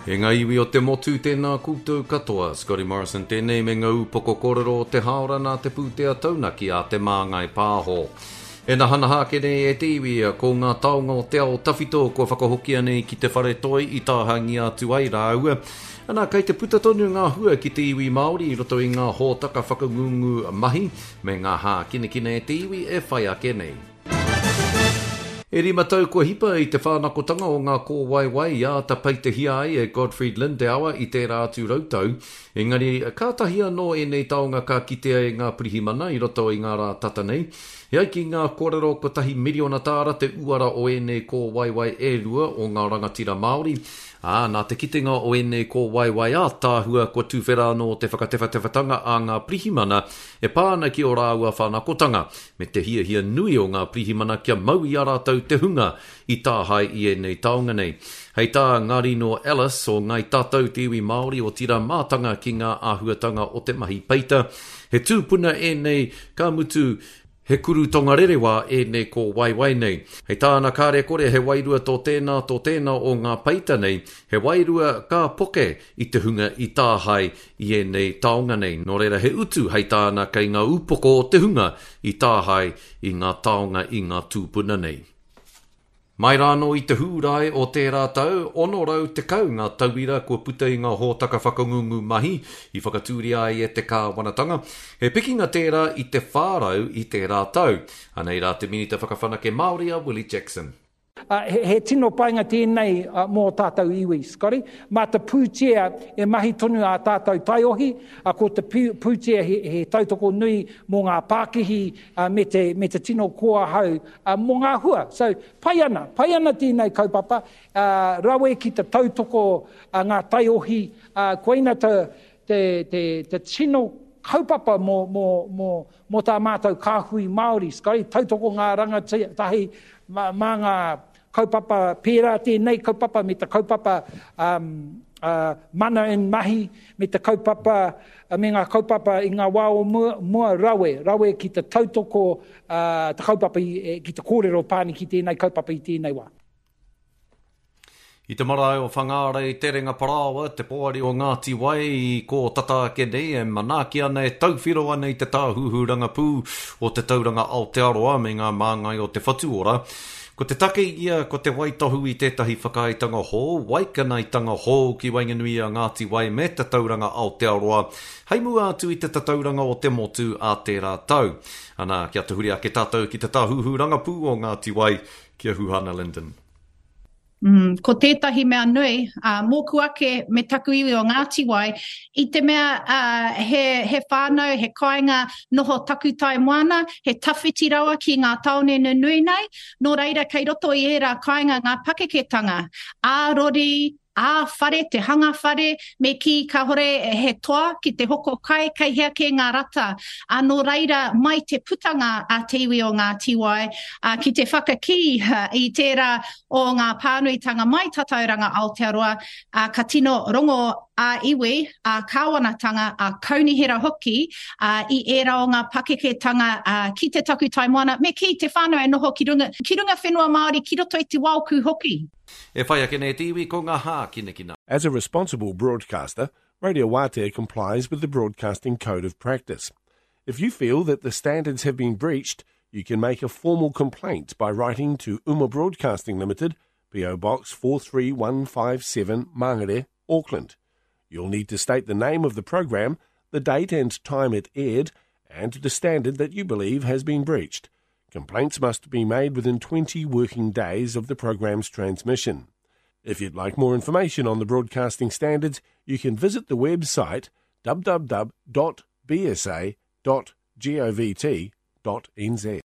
E ngā iwi o te motu, tēnā koutou katoa. Scotty Morrison tēnei me ngā upoko kōrero o te hāora nā te pūtea taunaki a Te Māngai Pāho. E nahanaha ake nei e te iwi, ko ngā taonga o te ao tawhito kua whakahokia nei ki te whare toi i tāhangia atu ai rāua. Ana, kei te puta tonu ngā hua ki te iwi Māori i roto i ngā hōtaka whakangungu mahi me ngā hākinakina e te iwi e whai ake nei. E rima tau kua hipa i te whānakotanga o ngā kōwaiwai i āta peitehia ai e Gottfried Lindauer i tērā atu rautau, engari kātahi anō ēnei taonga ka kitea e ngā pirihimana i roto i ngā rā tata nei. E ai ki ngā kōrero kotahi miriona tāra te uara o ēnei kōwaiwai e rua o ngā rangatira Māori, ā, nā te kitenga o ēnei kōwaiwai ātaahua kua tuwhera anō te whakatewhatewhatanga a ngā pirihimana e pā ana ki ō rāua whānakotanga. me te hiahia nui o ngā pirihimana kia mau i a rātou te hunga i tāhae i ēnei taonga nei. Hei tā Ngarino Ellis o Ngāi Tātou te iwi Māori otirā mātanga ki ngā āhuatanga o te mahi peita, he tūpuna ēnei, ka mutu, he kuru tongarerewā ēnei kōwaiwai nei. Hei tāna kāre kore he wairua tō tēnā, tō tēnā o ngā peita nei, he wairua ka poke i te hunga i tāhae i ēnei taonga nei. Nō reira he utu hei tāna kei ngā upoko o te hunga i tāhae i ngā taonga i ngā tūpuna nei. Mai rānō i te Hūrae o tērā tau, 610 ngā tauira kua puta i ngā hōtaka whakangungu mahi i whakatūria ai e te kāwanatanga. He pikinga tērā i te 400 i tērā tau. Anei rā te Minita Whakawhanake Māori a Willie Jackson. He tino painga tēnei mō tātou iwi, Scotty. Mā te pūtea e mahi tonu ā tātou taiohi, ko te pūtea he tautoko nui mō ngā pākihi me te, me te tino koa hau mō ngā hua. So, pai ana, pai ana tēnei kaupapa, rawe ki te tautoko ngā taiohi, koina te, te, te, te tino kaupapa mō, mō, mō, mō tā mātou kāhui Māori, Scotty, tautoko ngā rangatahi mā, mā ngā kaupapa pērā tēnei kaupapa me te kaupapa um, uh, mana in mahi, me te kaupapa, me ngā kaupapa i ngā wā o mua, mua rawe, rawe ki te tautoko uh, te kaupapa i, ki te kōrero pāni ki tēnei kaupapa i tēnei wā. I te marae o Whangārei Terenga Parāoa, te poari o Ngāti Wai i kō tata ake nei e manaaki ana, e tauwhiro ana i te tāhuhu rangapū o Te Tauranga Aotearoa me ngā māngai o Te Whatu Ora. Ko te take ia ko te waitohu i tētahi whakaaetanga hou, waikanaetanga hou ki waenganui i a Ngāti Wai me Te Tauranga Aotearoa hei mua atu i te tatauranga o te motu ā tērā tau. Ana, kia tahuri ake tātou ki te tāhuhu rangapū o Ngāti Wai, ki a Huhana Lyndon. Mm, ko tētahi mea nui, uh, mōku ake me taku iwi o Ngāti Wai, i te mea uh, he, he whānau, he kāinga noho takutai moana, he tawhiti rawa ki ngā tāone nunui nei, nō reira kei roto i ērā kāinga ngā pakeketanga, ā-rori, ā-whare, te hanga whare, me kī kāhore he toa ki te hoko kai, kei hea kē ngā rata. Ā, nō reira, mai te putanga a te iwi o Ngāti Wai, ā, ki te whakakī i tērā o ngā pānuitanga mai Tatauranga Aotearoa, ā, ka tino rongo ā-iwi, ā-kāwanatanga, ā-kaunihera hoki, ā, i ērā o ngā pakeketanga, ā, ki te takutai moana, me kī, te whānau e noho ki runga, ki runga whenua Māori, ki roto i te waoku hoki. E whai ake nei te iwi ko ngā hākinakina. As a responsible broadcaster, Radio Waatea complies with the Broadcasting Code of Practice. If you feel that the standards have been breached, you can make a formal complaint by writing to Uma Broadcasting Limited, PO Box 43157 Mangere, Auckland. You'll need to state the name of the program, the date and time it aired, and the standard that you believe has been breached. Complaints must be made within 20 working days of the program's transmission. If you'd like more information on the broadcasting standards, you can visit the website www.bsa.govt.nz.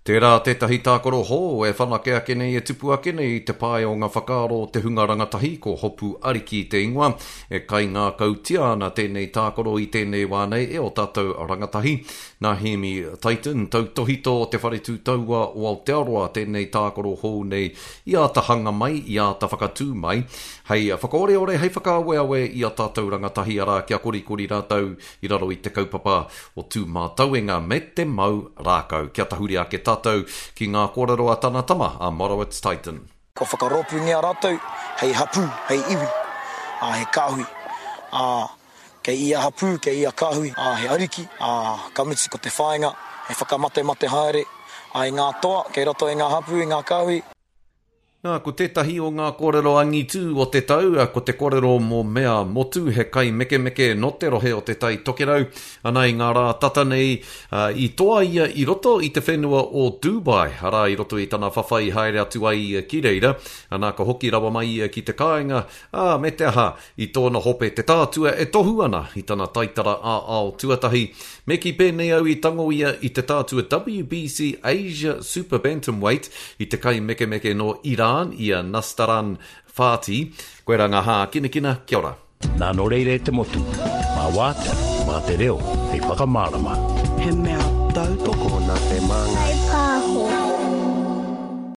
Tērā tētahi tākaro hou e whanake ake nei, e tupu ake nei i te pae o ngā whakaaro o te hunga rangatahi, ko Hopu Ariki te ingoa. E kaingākautia ana tēnei tākaro i tēnei wā nei e ō tātou rangatahi. Nā Hēmi Titon, tautōhito o Te Whare Tū Taua o Aotearoa tēnei tākaro hou nei i āta hanga mai, i āta whakatū mai, hei whakaoreore, hei whakaaweawe i a tātou rangatahi, arā, kia korikori rātou i raro i te kaupapa o Tūmātauenga me te mau rākau. Kia tahuri ake tātou ki ngā kōrero a tana tama, a Morowitz Titon. Kua whakarōpūngia rātou hei hapū, hei iwi, ā, he kāhui, ā, kei ia hapū, kei ia kāhui, ā, he ariki, ā, ka mutu ko te whāinga he whakamatemate haere, ā, i ngā toa kei roto i ngā hapū, i ngā kāhui. Nā, ko tētahi o ngā kōrero angitū o te tau, ko te kōrero mō Mea Motu, he kaimekemeke nō te rohe o Te Tai Tokerau, ana i ngā rā tata nei, i toa ia i roto i te whenua o Dubai, arā i roto i tana whawhai haere atu ai ia ki reira, ana ka hoki rawa mai ia ki te kāinga, ā, me te aha, i tōna hope te tātua e tohu ana i tana taitara ā-ao tuatahi. Me kī pēnei au i tango ia i te tātua WBC Asia Super Bantamweight i te kaimekemeke nō Iran i a Nastaran Whati. Koirā ngā hākinakina, kia ora. Nā nō reira e te motu, mā Wātea, mā te reo hei whakamārama. He mea tautoko nā Te Māngai.